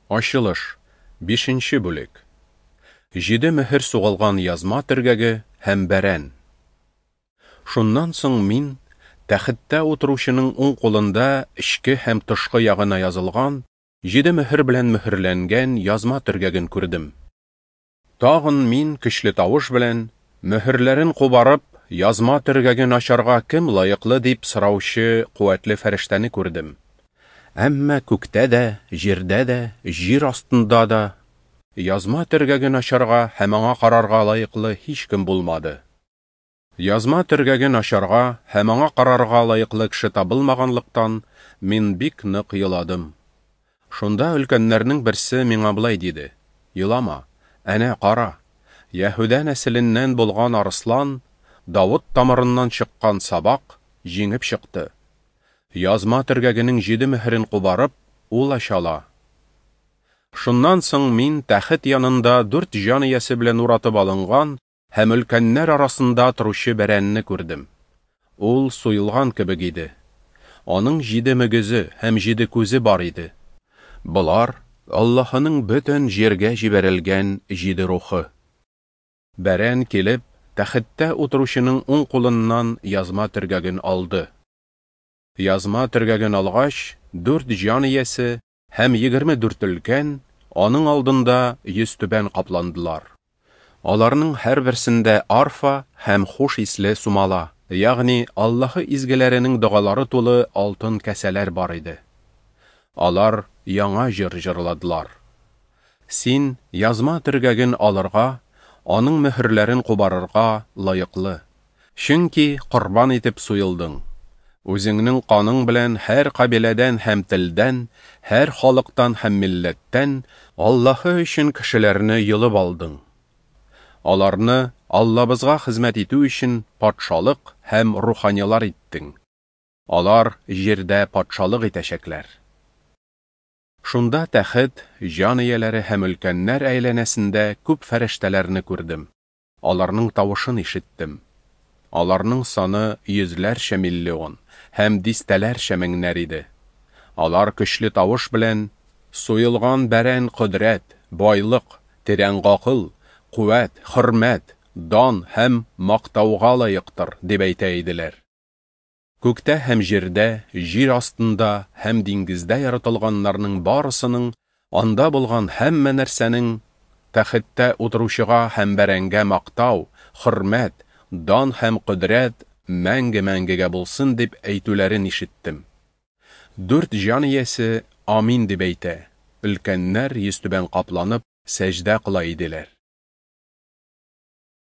Ачылыш, бишенче бүлек. Җиде мөһер сугылган язма төргәге һәм бәрән. Шуннан соң мин тәхеттә утыручының уң кулында эчке һәм тышкы ягына язылган, җиде мөһер белән мөһерләнгән язма төргәген күрдем. Тагын мин көчле тавыш белән, Мөһерләрен кубарып, язма төргәген ачарга кем лаеклы, дип сораучы куәтле фәрештәне күрдем. Әмма күктә дә, җирдә дә, җир астында да язма төргәген ачарга һәм аңа карарга лаеклы һичкем булмады. Язма төргәген ачарга һәм аңа карарга лаеклы кеше табылмаганлыктан, мин бик нык еладым. Шунда өлкәннәрнең берсе миңа болай диде: Елама, әнә кара, Яһүдә нәселеннән булган арыслан, Давыт тамырыннан чыккан сабак, җиңеп чыкты. Язма төргәгенең җиде мөһерен кубарып, ул ача ала. Шуннан соң мин тәхет янында дүрт җан иясе белән уратып алынган һәм өлкәннәр арасында торучы бәрәнне күрдем. Ул суелган кебек иде. Аның җиде мөгезе һәм җиде күзе бар иде. Болар, Аллаһының бөтен җиргә җибәрелгән җиде рухы. Бәрән килеп, тәхеттә утыручының уң кулыннан язма төргәген алды. Язма төргәген алгач, дүрт җан иясе һәм 24 өлкән аның алдында йөзтүбән капландылар. Аларның һәрберсендә арфа һәм хуш исле сумала, ягъни Аллаһы изгеләренең догалары тулы алтын кәсәләр бар иде. Алар яңа җыр җырладылар. Син язма төргәген алырга, аның мөһерләрен кубарырга лаеклы. Чөнки корбан итеп суелдың. Үзеңнең каның белән һәр кабиләдән һәм телдән, һәр халыктан һәм милләттән Аллаһы өчен кешеләрне йолып алдың. Аларны Аллабызга хезмәт итү өчен патшалык һәм руханилар иттең. Алар җирдә патшалык итәчәкләр. Шунда тәхет, җан ияләре һәм өлкәннәр әйләнәсендә күп фәрештәләрне күрдем. Аларның тавышын ишеттем. Аларның саны йөзләрчә миллион һәм дистәләрчә меңнәр иде. Алар көчле тавыш белән: Суелган бәрән кодрәт, байлык, тирән гакыл, куәт, хөрмәт, дан һәм мактауга лаектыр, дип әйтә иделәр. Күктә һәм җирдә, җир астында һәм диңгездә яратылганнарның барысының, анда булган һәммә нәрсәнең тәхеттә утыручыга һәм бәрәнгә мактау, хөрмәт, дан һәм кодрәт мәңге-мәңгегә булсын, дип әйтүләрен ишеттем. Дүрт җан иясе Амин дип әйтә, өлкәннәр йөзтүбән капланып, сәҗдә кыла иделәр.